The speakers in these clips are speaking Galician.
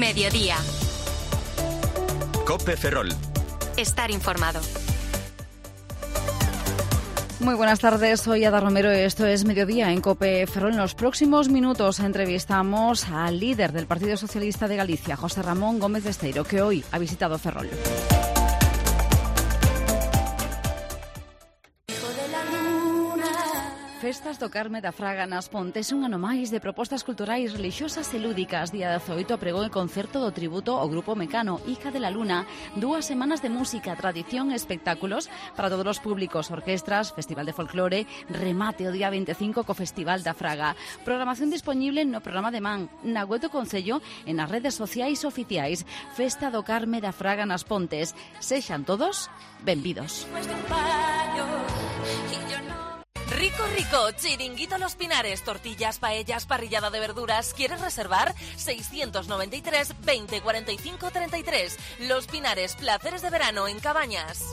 Mediodía. COPE Ferrol. Estar informado. Muy buenas tardes, soy Ada Romero y esto es Mediodía en COPE Ferrol. En los próximos minutos entrevistamos al líder del Partido Socialista de Galicia, José Ramón Gómez Besteiro, que hoy ha visitado Ferrol. Festas do Carme da Fraga nas Pontes, un ano máis de propostas culturais, religiosas e lúdicas. Día 18 pregou o concerto do tributo ao Grupo Mecano, Hija de la Luna. 2 semanas de música, tradición e espectáculos para todos os públicos, orquestras, festival de folclore, remate o día 25 co Festival da Fraga. Programación disponible no programa de Man, na web do Concello e nas redes sociais oficiais. Festa do Carme da Fraga nas Pontes. Sexan todos benvidos. Rico, rico, chiringuito Los Pinares, tortillas, paellas, parrillada de verduras. ¿Quieres reservar? 693 20 45 33. Los Pinares, placeres de verano en Cabañas.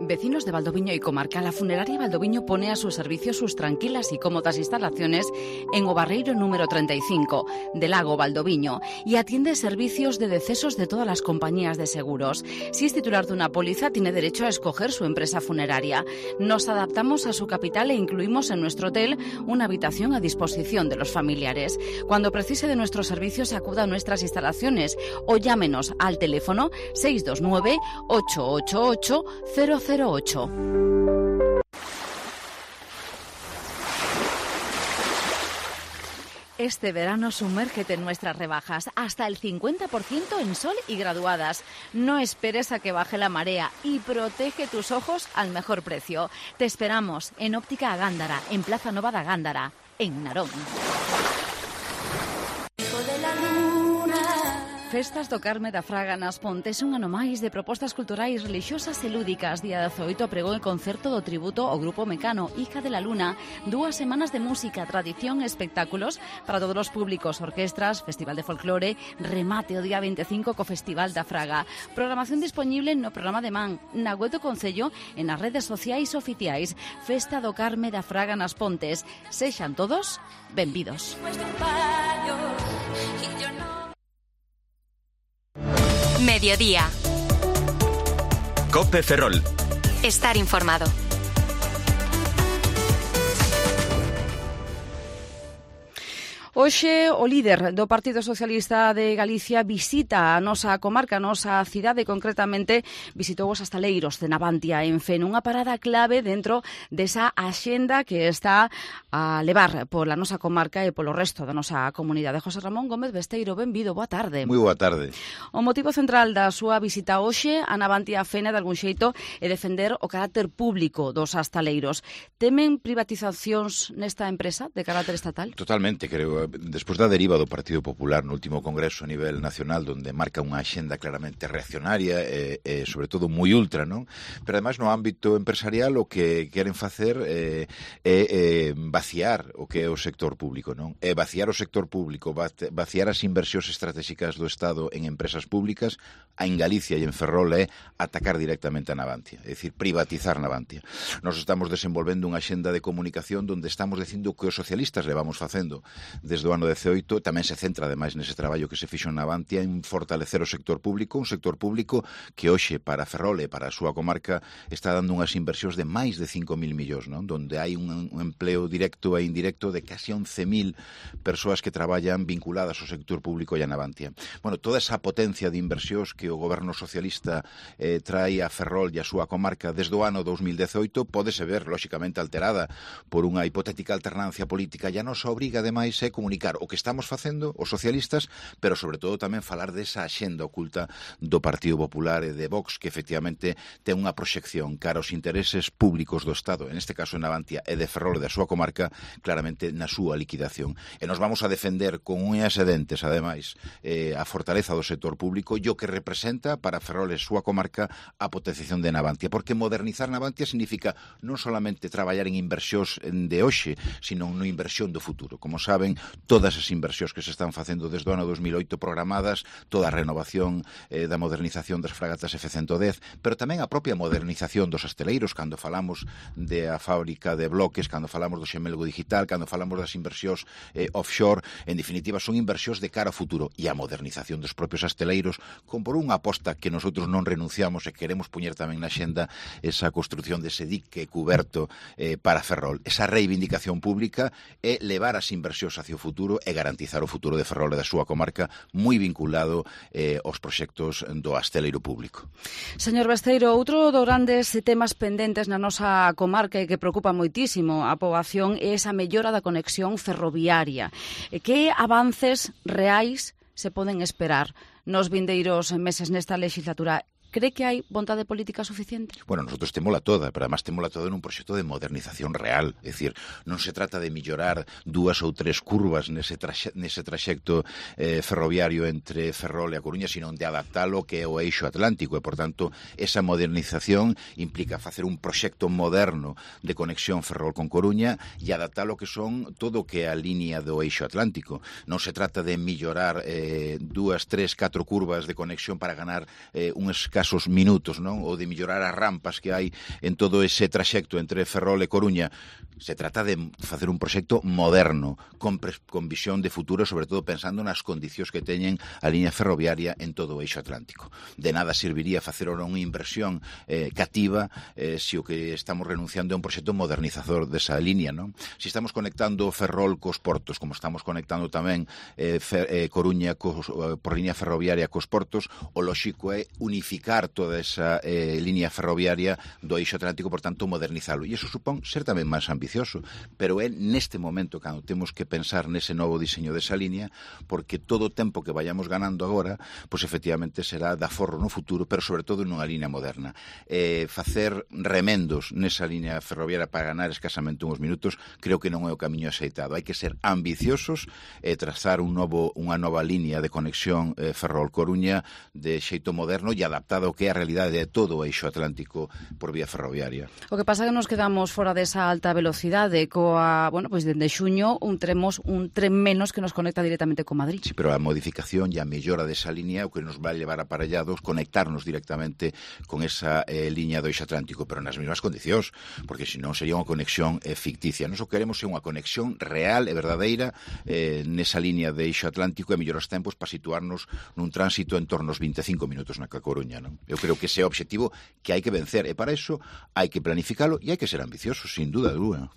Vecinos de Valdoviño y comarca, la funeraria Valdoviño pone a su servicio sus tranquilas y cómodas instalaciones en o Barreiro número 35 del Lago Valdoviño y atiende servicios de decesos de todas las compañías de seguros. Si es titular de una póliza, tiene derecho a escoger su empresa funeraria. Nos adaptamos a su capital e incluimos en nuestro hotel una habitación a disposición de los familiares. Cuando precise de nuestros servicios, acuda a nuestras instalaciones o llámenos al teléfono 629 888 008. Este verano sumérgete en nuestras rebajas, hasta el 50% en sol y graduadas. No esperes a que baje la marea y protege tus ojos al mejor precio. Te esperamos en Óptica Gándara, en Plaza Nova da Gándara, en Narón. Festas do Carme da Fraga nas Pontes, un ano máis de propostas culturais, religiosas e lúdicas. Día 18 pregou o concerto do tributo ao Grupo Mecano, Hija de la Luna. 2 semanas de música, tradición e espectáculos para todos os públicos, orquestras, festival de folclore, remate o día 25 co Festival da Fraga. Programación disponible no programa de Man, na web do Concello e nas redes sociais oficiais. Festa do Carme da Fraga nas Pontes. Sexan todos benvidos. Mediodía. COPE Ferrol. Estar informado. Hoxe o líder do Partido Socialista de Galicia visita a nosa comarca, a nosa cidade, concretamente visitou os Astaleiros de Navantia en Fene, unha parada clave dentro desa axenda que está a levar pola nosa comarca e polo resto da nosa comunidade. José Ramón Gómez Besteiro, benvido, boa tarde. Moi boa tarde. O motivo central da súa visita hoxe a Navantia Fene, de algún xeito, é defender o carácter público dos Astaleiros. Temen privatizacións nesta empresa de carácter estatal? Totalmente, creo. Despois da deriva do Partido Popular no último congreso a nivel nacional, donde marca unha axenda claramente reaccionaria e sobre todo moi ultra, non? Pero ademais no ámbito empresarial o que queren facer é vaciar o que é o sector público, non? É vaciar o sector público, vaciar as inversións estratégicas do Estado en empresas públicas, en Galicia e en Ferrol é atacar directamente a Navantia, é dicir, privatizar Navantia. Nos estamos desenvolvendo unha axenda de comunicación donde estamos dicindo que os socialistas levamos facendo desde o ano 18, tamén se centra ademais nese traballo que se fixo en Navantia en fortalecer o sector público, un sector público que hoxe para Ferrol e para a súa comarca está dando unhas inversións de máis de 5.000 millóns, non? Donde hai un empleo directo e indirecto de casi 11.000 persoas que traballan vinculadas ao sector público e a Navantia. Bueno, toda esa potencia de inversións que o goberno socialista trae a Ferrol e a súa comarca desde o ano 2018 pódese ver, lóxicamente, alterada por unha hipotética alternancia política e a nosa obriga, ademais, é comunicar o que estamos facendo os socialistas, pero sobre todo tamén falar desa axenda oculta do Partido Popular e de Vox, que efectivamente ten unha proxección cara aos intereses públicos do Estado, en este caso en Navantia e de Ferrol e da súa comarca, claramente na súa liquidación. E nos vamos a defender con unhas e dentes, ademais, a fortaleza do sector público e o que representa para Ferrol e a súa comarca a potenciación de Navantia, porque modernizar Navantia significa non solamente traballar en inversións de hoxe, sino na inversión do futuro. Como saben, todas as inversións que se están facendo desde o ano 2008 programadas, toda a renovación da modernización das fragatas F-110, pero tamén a propia modernización dos asteleiros, cando falamos da fábrica de bloques, cando falamos do xemelgo digital, cando falamos das inversións offshore, en definitiva son inversións de cara ao futuro, e a modernización dos propios asteleiros, con por unha aposta que nosotros non renunciamos e queremos poñer tamén na xenda esa construción dese dique cuberto para Ferrol, esa reivindicación pública e levar as inversións hacia o futuro e garantizar o futuro de Ferrol e da súa comarca, moi vinculado aos proxectos do asteleiro público. Señor Besteiro, outro dos grandes temas pendentes na nosa comarca e que preocupa moitísimo a poboación é esa mellora da conexión ferroviaria. Que avances reais se poden esperar nos vindeiros meses nesta legislatura? Cree que hai vontade política suficiente? Bueno, nosotros témola toda, pero además témola toda nun proxecto de modernización real. É dicir, non se trata de mellorar 2 ou 3 curvas nese traxecto ferroviario entre Ferrol e a Coruña, sino de adaptalo que é o eixo atlántico. E, por tanto, esa modernización implica facer un proxecto moderno de conexión Ferrol con Coruña e adaptalo que son todo o que é a línea do eixo atlántico. Non se trata de mellorar 2, 3, 4 curvas de conexión para ganar uns casos minutos, non? Ou de mellorar as rampas que hai en todo ese traxecto entre Ferrol e Coruña. Se trata de facer un proxecto moderno, con visión de futuro, sobre todo pensando nas condicións que teñen a liña ferroviaria en todo o eixo atlántico. De nada serviría facer unha inversión cativa se o que estamos renunciando é un proxecto modernizador desa liña, non? Se estamos conectando Ferrol cos portos, como estamos conectando tamén Coruña por liña ferroviaria cos portos, o lóxico é unificar toda esa liña ferroviaria do eixo atlántico, por tanto, modernizalo. E iso supón ser tamén máis ambicioso, pero é neste momento cando temos que pensar nese novo diseño desa liña, porque todo o tempo que vayamos ganando agora, pois efectivamente será de aforro no futuro, pero sobre todo nunha liña moderna. Facer remendos nesa liña ferroviaria para ganar escasamente uns minutos, creo que non é o camiño axeitado. Hai que ser ambiciosos e trazar unha nova liña de conexión Ferrol-Coruña de xeito moderno e adaptado ao que é a realidade de todo o eixo atlántico por vía ferroviaria. O que pasa é que nos quedamos fora desa alta velocidade coa, bueno, pois dende xuño un tren menos que nos conecta directamente con Madrid. Sí, pero a modificación e a mellora desa liña o que nos vai levar aparellados conectarnos directamente con esa liña do eixo atlántico, pero nas mesmas condicións, porque senón sería unha conexión ficticia. Nós o queremos é unha conexión real e verdadeira nesa liña de eixo atlántico e mellorar os tempos para situarnos nun tránsito en torno aos 25 minutos na Coruña, non? Eu creo que ese é o obxectivo que hai que vencer e para iso hai que planificalo e hai que ser ambiciosos, sin duda alguna.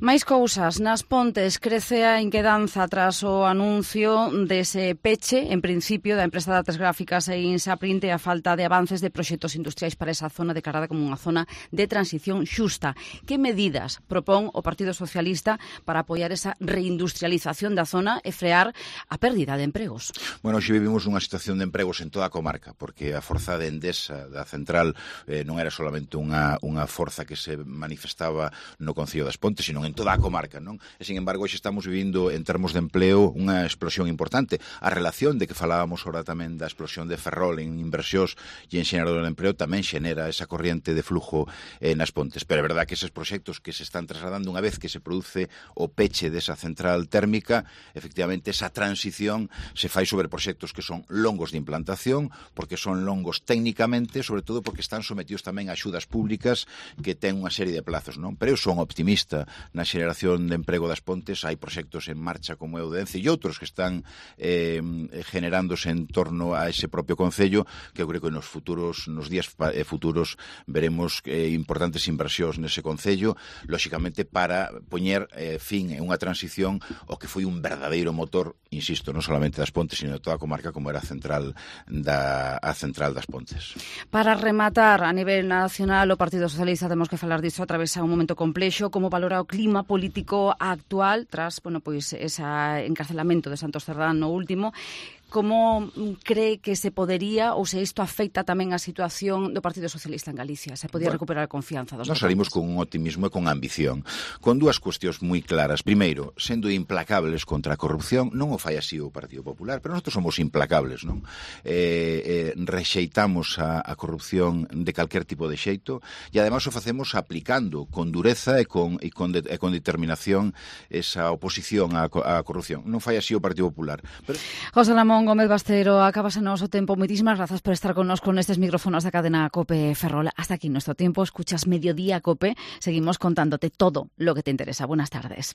Máis cousas. Nas Pontes crece a inquedanza tras o anuncio dese peche, en principio, da empresa de artes gráficas e Insaprint e a falta de avances de proxectos industriais para esa zona declarada como unha zona de transición xusta. Que medidas propón o Partido Socialista para apoiar esa reindustrialización da zona e frear a pérdida de empregos? Bueno, hoxe vivimos unha situación de empregos en toda a comarca, porque a forza de Endesa da central non era solamente unha forza que se manifestaba no Concello das Pontes, sino en toda a comarca, non? E, sin embargo, hoxe estamos vivindo, en termos de empleo, unha explosión importante. A relación de que falábamos ahora tamén da explosión de Ferrol en inversións e en xenerador de empleo tamén xenera esa corriente de flujo nas Pontes. Pero é verdad que eses proxectos que se están trasladando unha vez que se produce o peche desa central térmica, efectivamente, esa transición se fai sobre proxectos que son longos de implantación, porque son longos técnicamente, sobre todo porque están sometidos tamén a axudas públicas que ten unha serie de plazos, non? Pero eu son optimista na xeración de emprego das Pontes. Hai proxectos en marcha como é o de Ence e outros que están generándose en torno a ese propio Concello, que eu creo que nos días futuros veremos importantes inversións nese Concello, lóxicamente para poñer fin en unha transición o que foi un verdadeiro motor, insisto, non solamente das Pontes, sino de toda a comarca como era a central das Pontes. Para rematar, a nivel nacional, o Partido Socialista, temos que falar disso, atravesa un momento complexo. Como valora o clima político actual tras, bueno, pois ese encarcelamento de Santos Cerdán no último? como cree que se podería, ou se isto afecta tamén a situación do Partido Socialista en Galicia? Se podía recuperar a confianza dos votantes? Nos salimos con un optimismo e con ambición, con dúas cuestións moi claras. Primeiro, sendo implacables contra a corrupción, non o fai así o Partido Popular, pero nosotros somos implacables, non? Rexeitamos a corrupción de calquer tipo de xeito e ademais o facemos aplicando con dureza e con determinación esa oposición á corrupción. Non fai así o Partido Popular. Pero... José Ramón Gómez Bastero, acabase o noso tempo. Moitísimas grazas por estar connosco nestes micrófonos da cadena COPE Ferrol. Hasta aquí nuestro tiempo. Escuchas Mediodía COPE. Seguimos contándote todo lo que te interesa. Buenas tardes.